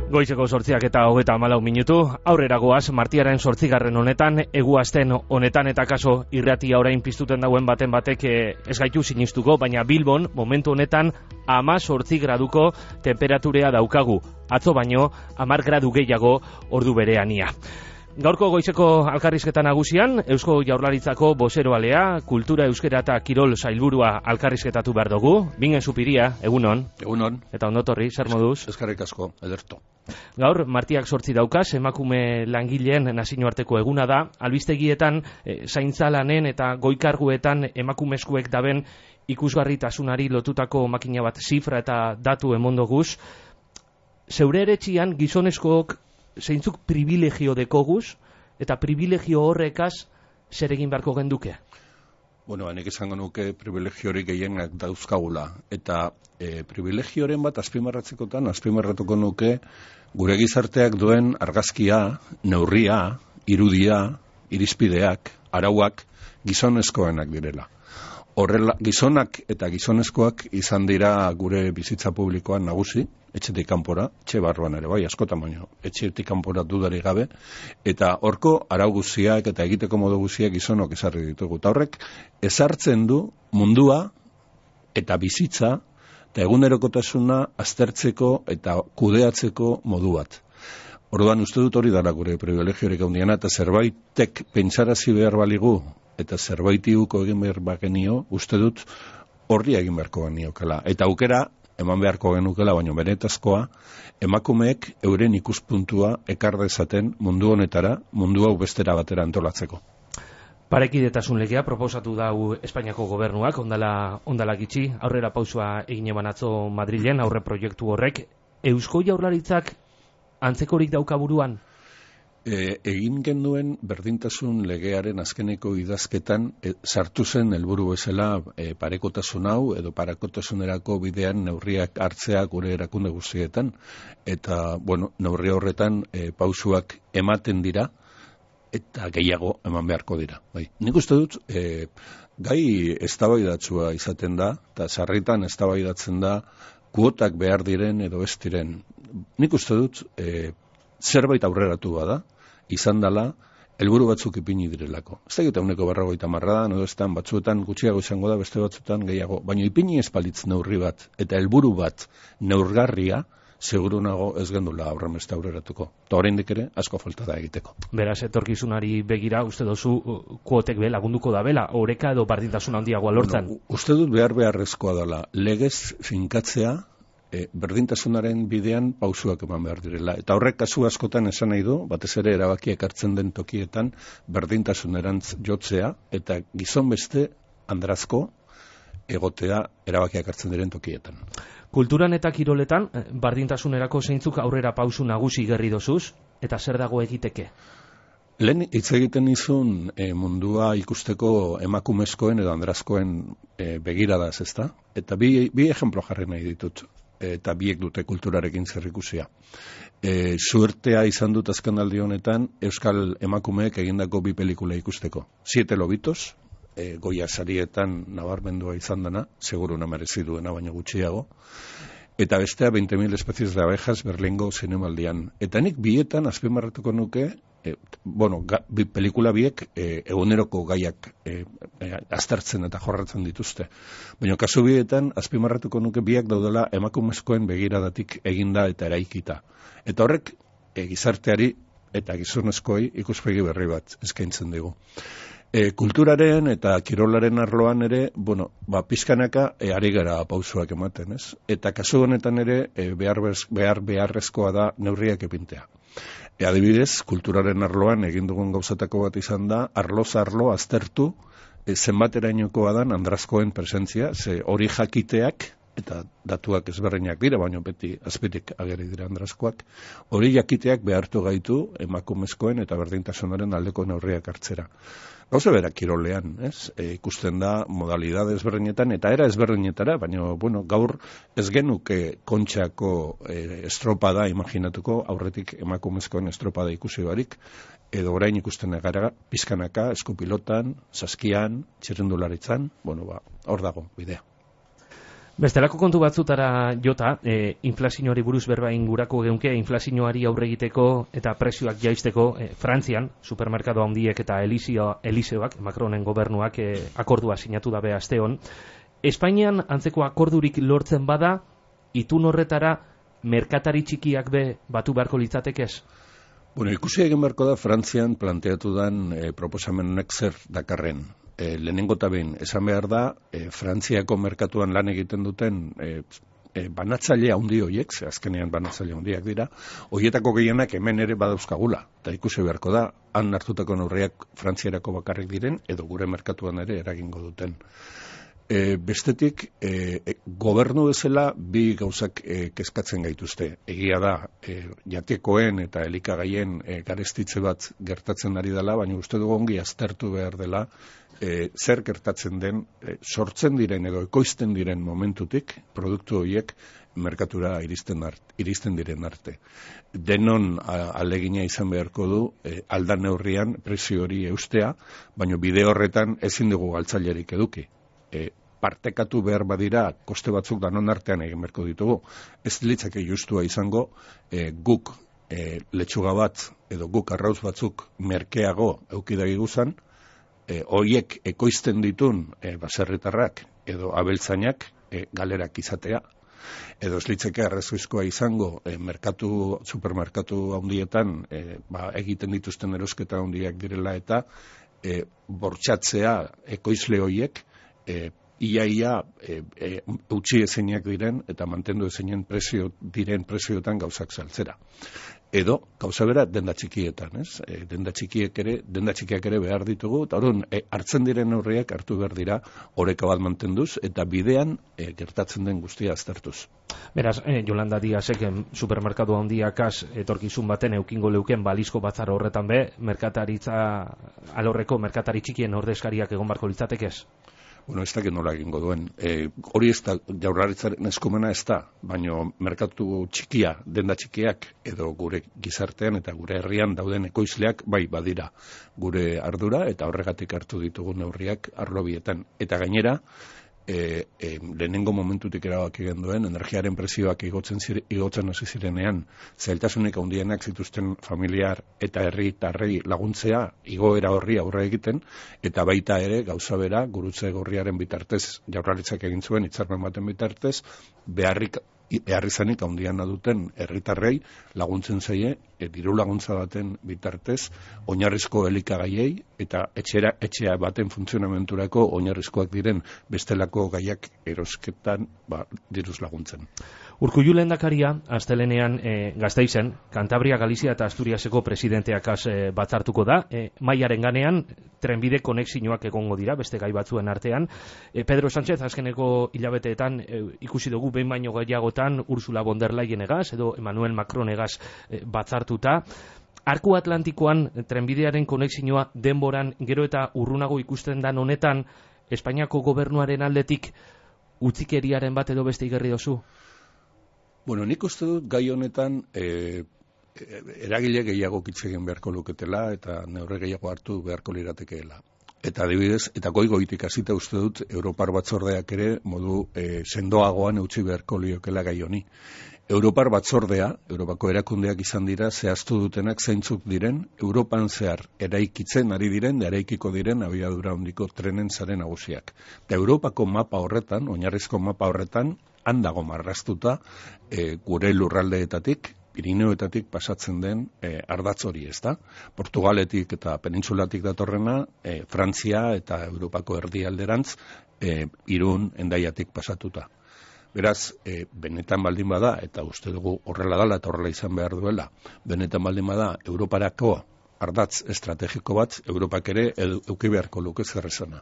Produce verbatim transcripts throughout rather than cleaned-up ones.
Goizeko sortziak eta hogeta hamalau minutu, aurrera goaz, martiaren sortzigarren honetan, eguazten honetan eta kaso irratia orain piztuten dauen baten batek ez gaitu sinistuko, baina Bilbon, momentu honetan, ama sortzi graduko temperaturea daukagu. Atzo baino, amar gradu gehiago ordu bereania. Gaurko goizeko alkarrizketa nagusian, Eusko Jaurlaritzako bozeroalea, kultura euskera eta kirol sailburua alkarrizketatu behar dugu. Bingen Zupiria, egunon. Egunon. Eta ondotorri, zer moduz? Eskerrik asko, ederto. Gaur, martiak sortzi daukaz, emakume langileen nazioarteko eguna da. Albistegietan, e, zaintza lanen eta goikarguetan emakumezkoek daben ikusgarritasunari lotutako makina bat zifra eta datu emondoguz. Zeure eretxian gizonezkook zeintzuk privilegio dekoguz, eta privilegio horrekaz zer egin beharko genduke? Bueno, hanek esango nuke privilegio hori gehienak dauzkagula. Eta e, privilegioren bat azpimarratzekotan, azpimarratuko nuke gure gizarteak duen argazkia, neurria, irudia, irizpideak, arauak gizonezkoenak direla. Horrela, gizonak eta gizonezkoak izan dira gure bizitza publikoan nagusi, etxetik kanpora, etxe barruan ere bai, askotan baino, etxetik kanpora dudarik gabe, eta horko arau guztiak eta egiteko modu guztiak gizonok ezarri ditugu. Eta horrek ezartzen du mundua eta bizitza eta egunerokotasuna aztertzeko eta kudeatzeko modu bat. Orduan uste dut hori dara gure privilegiorik handiena, eta zerbaitek pentsarazi behar baligu eta zerbaiti uko egin behar bagenio, uste dut horri egin beharko geniokela. Eta aukera eman beharko genukela, baino benetazkoa, emakumeek euren ikuspuntua ekar dezaten mundu honetara, mundu hau bestera batera antolatzeko. Parekidetasun legea proposatu dau Espainiako gobernuak, ondala, ondala gitxi, aurrera pausua egin eban atzo Madrilen, aurre proiektu horrek. Eusko Jaurlaritzak antzekorik daukaburuan? E, egin genuen berdintasun legearen azkeneko idazketan e, sartu zen helburu bezala e, parekotasun hau edo parekotasunerako bidean neurriak hartzea gure erakunde guztietan, eta bueno, neurri horretan e, pausuak ematen dira eta gehiago eman beharko dira. Bai. Nik uste dut e, gai eztabaidatsua izaten da, eta sarritan eztabaidatzen da kuotak behar diren edo ez diren. Nik uste dut e, zerbait aurreratu bada, izan dela, helburu batzuk ipini direlako. Ez da egiten uneko berrogeita marradan, edo estan batzuetan gutxiago izango da, beste batzuetan gehiago. Baina ipini espalitz neurri bat, eta helburu bat neurgarria, seguru nago ez gendula aurren beste aurreratuko. Eta oraindik ere, asko falta da egiteko. Beraz, etorkizunari begira, uste dozu, kuotek be lagunduko da bela, oreka edo bardintasun handiagoa lortzen? Bueno, uste dut behar beharrezkoa dela, legez finkatzea, E, berdintasunaren bidean pausuak eman behar direla. Eta horrek kasu askotan esan nahi du, batez ere erabakiak hartzen den tokietan, berdintasunerantz jotzea, eta gizon beste andrazko egotea erabakiak hartzen diren tokietan. Kulturan eta kiroletan, berdintasunerako zeintzuk aurrera pausu nagusi gerri dozuz, eta zer dago egiteke? Lehen hitz egiten izun e, mundua ikusteko emakumezkoen edo andrazkoen e, begiradaz, ezta? Eta bi, bi ejemplo jarri nahi ditut, eta biek dute kulturarekin zerrikusia. E, suertea izan dut azkenaldi honetan euskal emakumeek egindako bi pelikula ikusteko. Siete lobitos, e, Goya sarietan nabarmendua izan dena, seguru namerezi duena baina gutxiago, eta bestea veinte mil especies de abejas Berlingo zinemaldian. Eta nik bietan azpimarratuko nuke, E, bueno, ga, bi, pelikula biek e, eguneroko gaiak e, e, aztertzen eta jorratzen dituzte. Baina kasu bietan, azpimarratuko nuke biak daudela emakumezkoen begiradatik eginda eta eraikita. Eta horrek e, gizarteari eta gizonezkoi ikuspegi berri bat eskaintzen dugu. E, kulturaren eta kirolaren arloan ere, bueno, ba, pizkanaka e, ari gara pausuak ematen, ez? Eta kasu honetan ere e, behar, behar beharrezkoa da neurriak epintea. E, adibidez, kulturaren arloan egin dugun gauzatako bat izan da, arloz arlo aztertu e, zenbaterainokoa dan andrazkoen presentzia, ze hori jakiteak, eta datuak ezberdinak dira, baina beti azpitik ageri dira andrazkoak, hori jakiteak behartu gaitu emakumezkoen eta berdintasunaren aldeko neurriak hartzera. Gauza bera kirolean, ez? E, ikusten da modalidade ezberdinetan eta era ezberdinetara, baina bueno, gaur ez genuke kontxako e, estropada imaginatuko, aurretik emakumezkoen estropada ikusi barik, edo orain ikusten gara pizkanaka, eskupilotan, saskian, txirrindularitzan, bueno, ba, hor dago bidea. Bestelako kontu batzutara jota, e, inflazioari buruz berba ingurako geunke, inflazioari aurre egiteko eta prezioak jaisteko, e, Frantzian, supermerkado handiek eta Eliseo, Eliseoak, Macronen gobernuak e, akordua sinatu dabe asteon. Espainian antzeko akordurik lortzen bada, itun horretara merkatari txikiak be batu beharko litzatekez? Bueno, ikusi egin beharko da Frantzian planteatu dan e, proposamenek zer dakarren. E, lehenengo eta behin, esan behar da, e, Frantziako merkatuan lan egiten duten e, e, banatzaile handi horiek, ze azkenean banatzaile handiak dira, horietako gehienak hemen ere badauzkagula. Eta ikusi beharko da, han hartutako neurriak Frantziarako bakarrik diren, edo gure merkatuan ere eragingo duten. E, bestetik, e, e, gobernu bezala bi gauzak e, kezkatzen gaituzte. Egia da, e, jatekoen eta elikagaien e, garestitze bat gertatzen ari dela, baina uste dugu ongi aztertu behar dela e, zer gertatzen den, e, sortzen diren edo ekoizten diren momentutik, produktu horiek merkatura iristen, art, iristen diren arte. Denon a, alegina izan beharko du e, aldan neurrian prezio hori eustea, baina bide horretan ezin dugu galtzailerik eduki. E, partekatu behar badira koste batzuk danon artean egin beharko ditugu. Ez litzake justua izango e, guk e, letxuga bat edo guk arrauz batzuk merkeago eukidagi guzan, e, horiek ekoizten ditun e, baserritarrak edo abeltzainak e, galerak izatea. Edo ez litzake arrazoizkoa izango e, merkatu, supermerkatu handietan e, ba, egiten dituzten erosketa handiak direla eta e, bortxatzea ekoizle horiek e, ia ia e, e, utzi ezenak diren eta mantendu ezeinen prezio diren prezioetan gauzak saltzera. Edo, gauza bera, denda txikietan, ez? E, denda txikiek ere, denda txikiak ere behar ditugu, eta orduan, e, hartzen diren neurriak hartu behar dira oreka bat mantenduz, eta bidean e, gertatzen den guztia aztertuz. Beraz, eh, Yolanda Díazek supermerkatu handiakaz etorkizun baten eukingo leuken balizko batzar horretan be, merkataritza alorreko merkatari txikien ordezkariak egon barko litzatekez? Bueno, ez dakit nola egingo duen. E, hori ez da, jaurlaritzaren eskumena ez da, baina merkatu txikia, denda txikiak, edo gure gizartean eta gure herrian dauden ekoizleak, bai badira gure ardura, eta horregatik hartu ditugu neurriak arlobietan. Eta gainera, e, e, lehenengo momentutik erabaki genduen, energiaren prezioak igotzen, zire, igotzen hasi zirenean, zailtasunik handienak zituzten familiar eta herritarrei laguntzea, igoera horri aurre egiten, eta baita ere, gauza bera, gurutze gorriaren bitartez, jaurlaritzak egin zuen, hitzarmen baten bitartez, beharrik beharrizanik handiana duten herritarrei laguntzen zaie, e, diru laguntza baten bitartez, oinarrizko elikagaiei eta etxera, etxea baten funtzionamenturako oinarrizkoak diren bestelako gaiak erosketan ba, diruz laguntzen. Urkullu lehendakaria, astelenean e, Gasteizen, Kantabria, Galizia eta Asturiaseko presidenteakaz e, batzartuko da. E, Maiaren ganean, trenbide konexioak egongo dira, beste gai batzuen artean. E, Pedro Sánchez, azkeneko hilabeteetan, e, ikusi dugu behin baino gehiagotan Ursula von der Leyen egaz, edo Emmanuel Macron egaz e, batzartuta. Arku Atlantikoan trenbidearen konexioa denboran gero eta urrunago ikusten dan honetan, Espainiako gobernuaren aldetik utzikeriaren bat edo beste igerri dozu? Bueno, nik uste dut gai honetan e, eragile gehiago kitzegin beharko luketela eta neurri gehiago hartu beharko liratekeela. Eta adibidez, eta goigoitik hasita uste dut Europar batzordeak ere modu e, sendoagoan eutsi beharko liokela gai honi. Europar batzordea, Europako erakundeak izan dira, zehaztu dutenak zeintzuk diren, Europan zehar eraikitzen ari diren, eraikiko diren abiadura handiko trenen zaren nagusiak. Eta Europako mapa horretan, oinarrizko mapa horretan, handago marraztuta e, gure lurraldeetatik, Pirineoetatik pasatzen den e, ardatz hori, ez da? Portugaletik eta penintsulatik datorrena, e, Frantzia eta Europako erdialderantz, e, Irun, Hendaiatik pasatuta. Beraz, e, benetan baldin bada, eta uste dugu horrela dela eta horrela izan behar duela, benetan baldin bada, Europarako ardatz estrategiko bat, Europak ere eduki beharko luke zerrezana.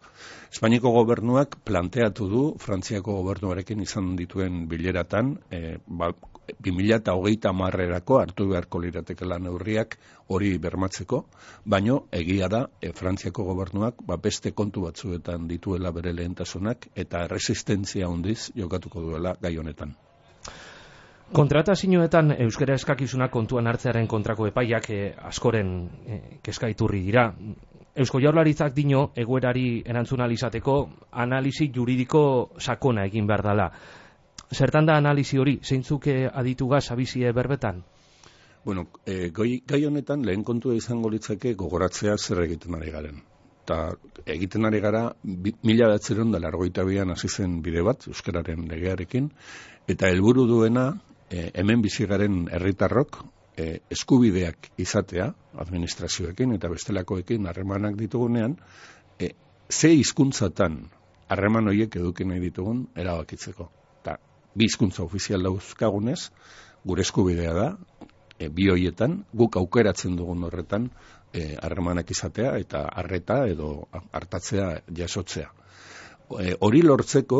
Espainiako gobernuak planteatu du, Frantziako gobernuarekin izan dituen bileratan, e, ba, bi mila hogeita hamarrerako hartu beharko liratekela neurriak hori bermatzeko, baino egia da e, Frantziako gobernuak ba, beste kontu batzuetan dituela bere lehentasunak eta resistentzia handiz jokatuko duela gai honetan. Kontratazioetan euskara eskakizunak kontuan hartzearen kontrako epaiak eh, askoren eh, kezkaiturri dira. Eusko Jaurlaritzak dino egoerari erantzun ahal izateko analisi juridiko sakona egin behar dela. Zertan da analizi hori, zeintzuk aditugaz abizie berbetan? Bueno, e, gai, gai honetan lehen kontua izango litzake gogoratzea zer egiten ari garen. Eta egiten ari gara, mila batzeron da largoita bian hasi zen bide bat, euskararen legearekin, eta helburu duena, e, hemen bizigaren herritarrok, e, eskubideak izatea, administrazioekin eta bestelakoekin harremanak ditugunean, e, ze hizkuntzatan harreman horiek eduki nahi ditugun erabakitzeko. Eta bi hizkuntza ofizial dauzkagunez, gure eskubidea da, E, bi hoietan, guk aukeratzen dugun horretan harremanak e, izatea eta arreta edo hartatzea jasotzea. E, hori lortzeko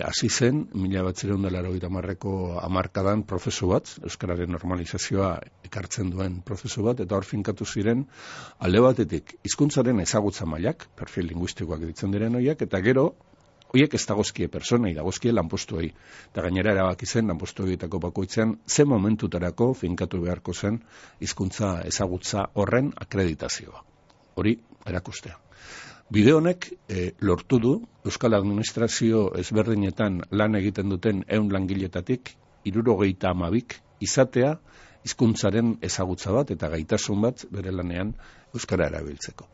hasi e, zen mila batziehun eta laurogeita hamarreko hamarkadan prozesu bat, euskararen normalizazioa ekartzen duen prozesu bat, eta hor finkatu ziren alde batetik hizkuntzaren ezagutza mailak, perfil linguistikoak ditzen diren horiek, eta gero horiek ez dagozkie personei, dagozkie lanpostuei. Eta gainera erabaki zen lanpostu horietako bakoitzean ze momentutarako finkatu beharko zen hizkuntza ezagutza horren akreditazioa. Hori erakustea. Bide honek e, lortu du Euskal Administrazio ezberdinetan lan egiten duten ehun langiletatik hirurogeita hamabik izatea hizkuntzaren ezagutza bat eta gaitasun bat bere lanean euskara erabiltzeko.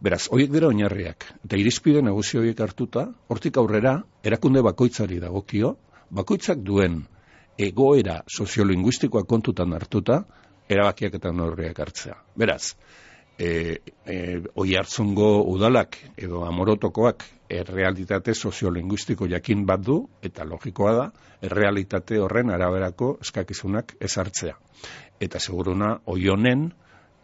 Beraz, horiek dira oinarriak, eta irizpide nagusi horiek hartuta, hortik aurrera, erakunde bakoitzari dagokio, bakoitzak duen egoera soziolinguistikoa kontutan hartuta, erabakiak eta neurriak hartzea. Beraz, e, e, Oiartzungo udalak edo Amorotokoak errealitate soziolinguistiko jakin bat du, eta logikoa da, errealitate horren araberako eskakizunak ezartzea. Eta seguruna, Oionen,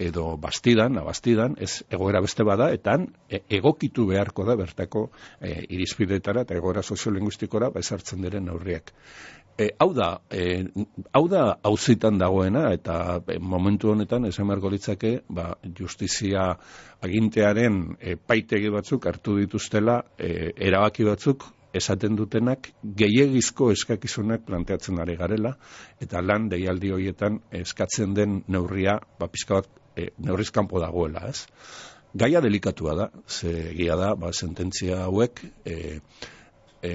edo bastidan, abastidan, ez egoera beste bada, eta egokitu beharko da bertako e, irizpidetara eta egoera soziolinguistikora ezartzen diren neurriak. E, hau da, e, hau da auzitan dagoena, eta e, momentu honetan esan beharko litzake, ba, justizia agintearen e, paitegi batzuk hartu dituztela, e, erabaki batzuk esaten dutenak gehiegizko eskakizunak planteatzen ari garela, eta lan deialdi horietan eskatzen den neurria, ba, pixka bat, E, neurriz kanpo dagoela, ez? Gaia delikatua da, ze egia da, ba, sententzia hauek e, e,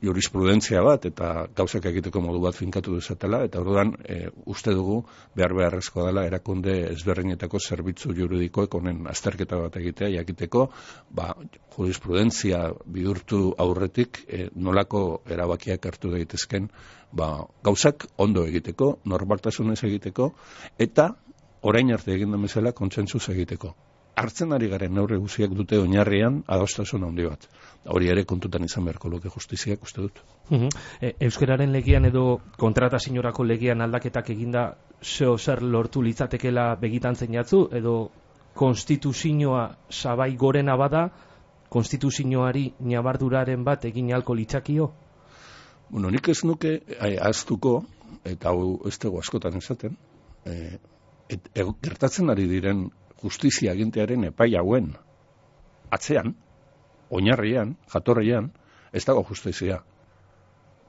jurisprudentzia bat eta gauzak egiteko modu bat finkatu dezatela, eta orduan e, uste dugu behar beharrezkoa dela erakunde ezberdinetako zerbitzu juridikoek honen azterketa bat egitea, jakiteko, ba, jurisprudentzia bidurtu aurretik e, nolako erabakiak hartu daitezken, ba, gauzak ondo egiteko, normaltasunez egiteko, eta orain arte egin den bezala kontsentsuz egiteko. Hartzen ari garen neurri guztiak dute oinarrian adostasun handi bat. Hori ere kontutan izan beharko luke justiziak uste dut. Uh-huh. e, Euskararen legian edo kontratazioarako legian aldaketak eginda zeo zer lortu litzatekela begitan zeinatzu, edo konstituzioa sabai gorena bada, konstituzioari nabarduraren bat egin ahalko litzakio? Bueno, nik ez nuke ahaztuko, eta hau ez dugu askotan esaten, e, Et, e, gertatzen ari diren justizia agintearen epai hauen atzean, oinarrian, jatorrian, ez dago justizia.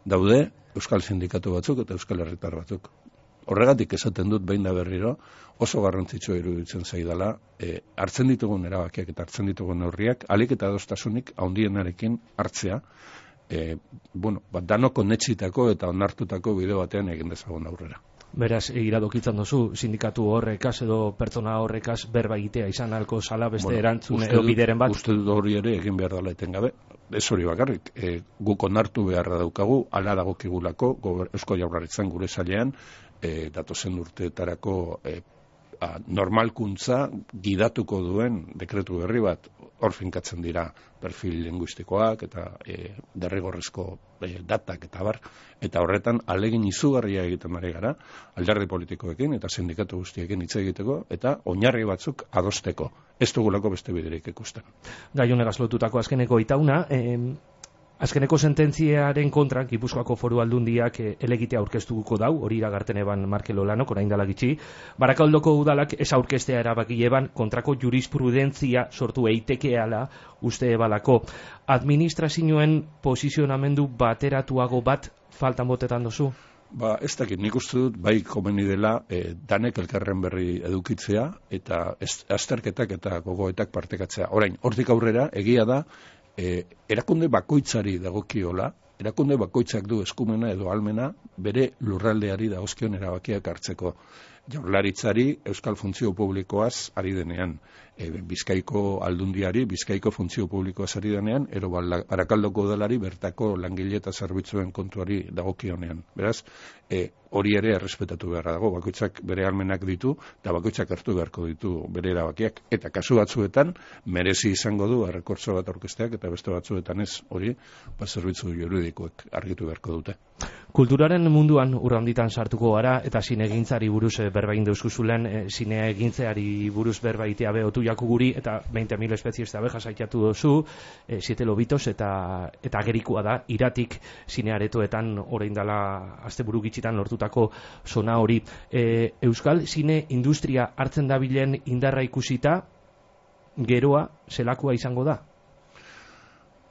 Daude Euskal Sindikatu batzuk eta Euskal Herritar batzuk. Horregatik esaten dut behin da berriro, oso garrantzitsua iruditzen zaidala, e, hartzen ditugun erabakiak eta hartzen ditugun neurriak, alik eta adostasunik handienarekin hartzea, e, bueno, bat danoko netxitako eta onartutako bide batean egin dezagun aurrera. Beraz, iradokitzen duzu, sindikatu horrekaz edo pertsona horrekaz berba egitea izan alko sala beste bueno, erantzun edo bideren bat? Uste dut hori ere egin behar dela etengabe. Ez hori bakarrik, e, guk onartu beharra daukagu, ala dagokigulako, Eusko Jaurlaritzan gure sailean, e, datozen urteetarako e, a, normalkuntza gidatuko duen dekretu berri bat, hor finkatzen dira perfil linguistikoak eta e, derrigorrezko e, datak eta bar, eta horretan alegin izugarria egiten ari gara, alderdi politikoekin eta sindikatu guztiekin hitz egiteko eta oinarri batzuk adosteko. Ez dugulako beste biderik ikusten. Gai honegaz lotutako azkeneko itauna, eh, azkeneko sententziaren kontra Gipuzkoako Foru Aldundiak eh, elegitea aurkeztuko dau, hori iragarten eban Markel Olanok, orain dela gitxi. Barakaldoko udalak ez aurkeztea erabaki eban kontrako jurisprudentzia sortu eitekeala uste ebalako. Administrazioen posizionamendu bateratuago bat faltan botetan dozu? Ba, ez dakit, nik uste dut bai komeni dela e, danek elkarren berri edukitzea eta ez, azterketak eta gogoetak partekatzea. Orain, hortik aurrera, egia da, e, erakunde bakoitzari dagokiola erakunde bakoitzak du eskumena edo almena bere lurraldeari dagozkion erabakiak hartzeko. Jaurlaritzari euskal funtzio publikoaz ari denean, e, Bizkaiko aldundiari Bizkaiko funtzio publikoaz ari denean, ero Barakaldoko udalari bertako langile eta zerbitzuen kontuari dagokionean. Beraz, e, hori ere errespetatu beharra dago, bakoitzak bere almenak ditu, eta bakoitzak hartu beharko ditu bere erabakiak. Eta kasu batzuetan, merezi izango du errekurtso bat aurkezteak, eta beste batzuetan ez, hori, ba, zerbitzu juridikoek argitu beharko dute. Kulturaren munduan urranditan sartuko gara, eta zinegintzari buruz berba egin deuskuzulen, e, zinegintzeari buruz berba itea behotu jaku guri, eta veinte mil espezies abeja saitatu dozu, e, siete lobitos, eta, eta agerikoa da, iratik zinearetoetan orain dela asteburu gitxitan lortutako zona hori. E, Euskal zine industria hartzen dabilen indarra ikusita, geroa zelakoa izango da?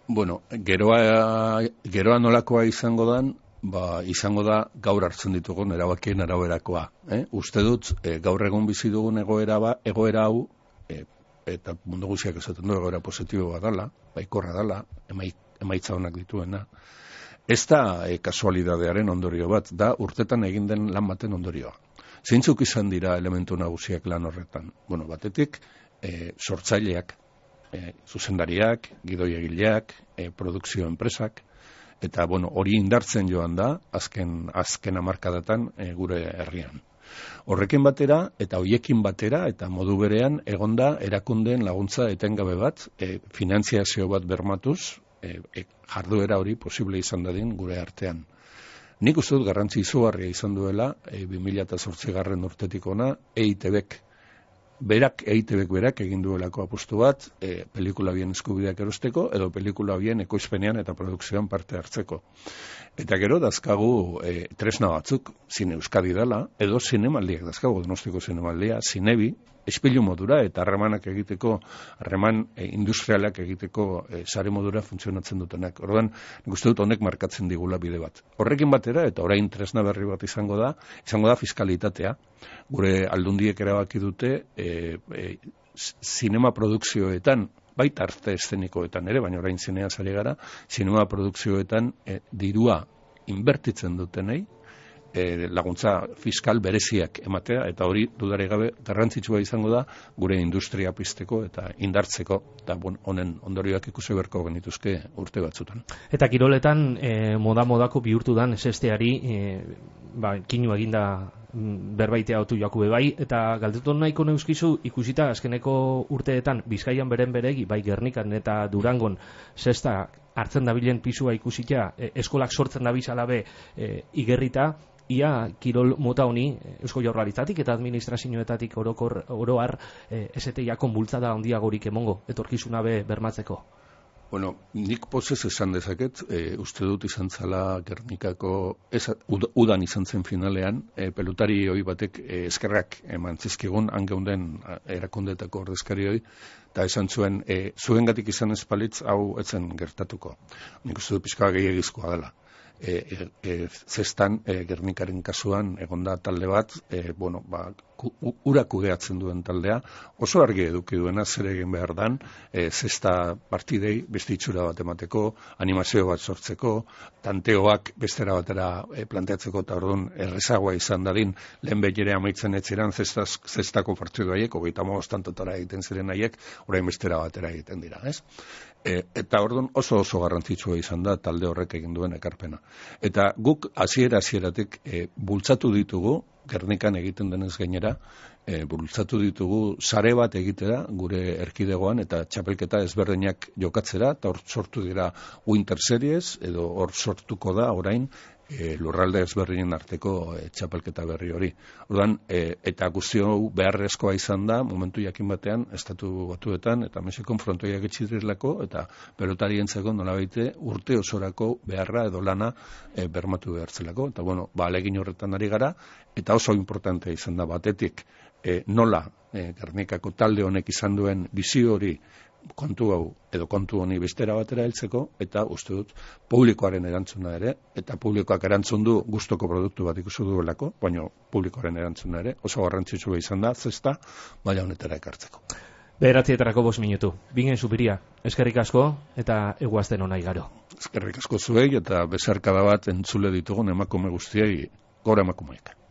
Bueno, geroa, geroa nolakoa izango dan, ba, izango da gaur hartzen ditugun erabakien araberakoa. Eh? Uste dut, e, gaur egun bizi dugun egoera, ba, egoera hau, e, eta mundu guztiak esaten du egoera positibo bat dala, baikorra dala, emai, emaitza honak dituena. Ez da e, kasualidadearen ondorio bat, da urtetan egin den lan baten ondorioa. Zeintzuk izan dira elementu nagusiak lan horretan? Bueno, batetik, e, sortzaileak, e, zuzendariak, gidoiegileak, e, produkzio enpresak, eta bueno, hori indartzen joan da, azken, azken hamarkadatan e, gure herrian. Horrekin batera, eta hoiekin batera, eta modu berean, egonda erakundeen laguntza etengabe bat, e, finantziazio bat bermatuz, e, e, jarduera hori posible izan dadin gure artean. Nik uste dut garrantzi izugarria izan duela, e, bi mila zortzigarren urtetik ona, E I T Bek, berak, E I T Bek berak egin duelako apustu bat, e, pelikula bien eskubideak erosteko, edo pelikula bien ekoizpenean eta produkzioan parte hartzeko. Eta gero dazkagu e, tresna batzuk, zine Euskadi dela, edo zinemaldiak dazkagu, Donostiko zinemaldia, zinebi, espilu modura eta harremanak egiteko, harreman e, industrialak egiteko e, sare modura funtzionatzen dutenak. Orduan, nik uste dut honek markatzen digula bide bat. Horrekin batera, eta orain tresna berri bat izango da, izango da fiskalitatea. Gure aldundiek erabaki dute, e, e, zinema produkzioetan, baita arte eszenikoetan ere, baina orain zinea zari gara, zinema produkzioetan e, dirua inbertitzen dutenei, E, laguntza fiskal bereziak ematea, eta hori dudare gabe garrantzitsua izango da gure industria pizteko eta indartzeko, eta bon, honen ondorioak ikusi beharko genituzke urte batzutan. Eta kiroletan e, moda-modako bihurtu dan esesteari e, ba, kinu eginda berbaitea otu jakube bai, eta galdetu nahiko neuskizu ikusita azkeneko urteetan Bizkaian beren beregi, bai Gernikan eta Durangon zesta hartzen dabilen pisua ikusita, e, eskolak sortzen dabizalabe e, igerrita, ia kirol mota honi Eusko Jaurlaritzatik eta administrazioetatik orokor oroar e, esete-jakon bultzada handiagorik emongo, etorkizuna be bermatzeko. Bueno, nik pozez esan dezaket, e, uste dut izan zala Gernikako, ez, ud, udan izan zen finalean, e, pelutari hoi batek e, eskerrak eman zizkigun, hangeunden erakundetako ordezkari hoi, eta esan zuen, e, zuengatik izan espalitz hau etzen gertatuko. Nik uste dut pixka gehiagizkoa dela. E, e, e, zestan e, Gernikaren kasuan egonda talde bat, e, bueno, ba, ku, ura kudeatzen duen taldea, oso argi eduki duena zer egin behar dan, e, zesta partidei beste itxura bat emateko, animazio bat sortzeko, tanteoak bestera batera e, planteatzeko, eta orduan errezagoa izan dadin, lehen behire amaitzen etziran zestaz, zestako partidu haiek, hogeita moztantotara egiten ziren haiek, orain bestera batera egiten dira, ez? E, eta orduan oso oso garrantzitsua izan da talde horrek egin duen ekarpena. Eta guk hasiera hasieratik e, bultzatu ditugu, Gernikan egiten denez gainera, e, bultzatu ditugu sare bat egitera gure erkidegoan eta txapelketa ezberdinak jokatzera, eta hor sortu dira Winter Series, edo hor sortuko da orain e, lurralde ezberdinen arteko e, txapelketa berri hori. Orduan, e, eta guztio beharrezkoa izan da, momentu jakin batean, estatu batuetan, eta Mexikon frontoiak etxidirelako, eta pelotarientzako nolabaite urte osorako beharra edo lana e, bermatu behartzelako. Eta bueno, ba, alegin horretan ari gara, eta oso importantea izan da batetik, e, nola e, Gernikako talde honek izan duen bizio hori kontu hau edo kontu honi bestera batera heltzeko, eta uste dut publikoaren erantzuna ere, eta publikoak erantzun du gustoko produktu bat ikusi duelako, baina publikoaren erantzuna ere oso garrantzitsua izan da zesta maila honetara ekartzeko. Bederatzietarako bost minutu. Bingen Zupiria, eskerrik asko eta eguazten ona igaro. Eskerrik asko zuei eta besarkada bat entzule ditugun emakume guztiei, gora emakumeek.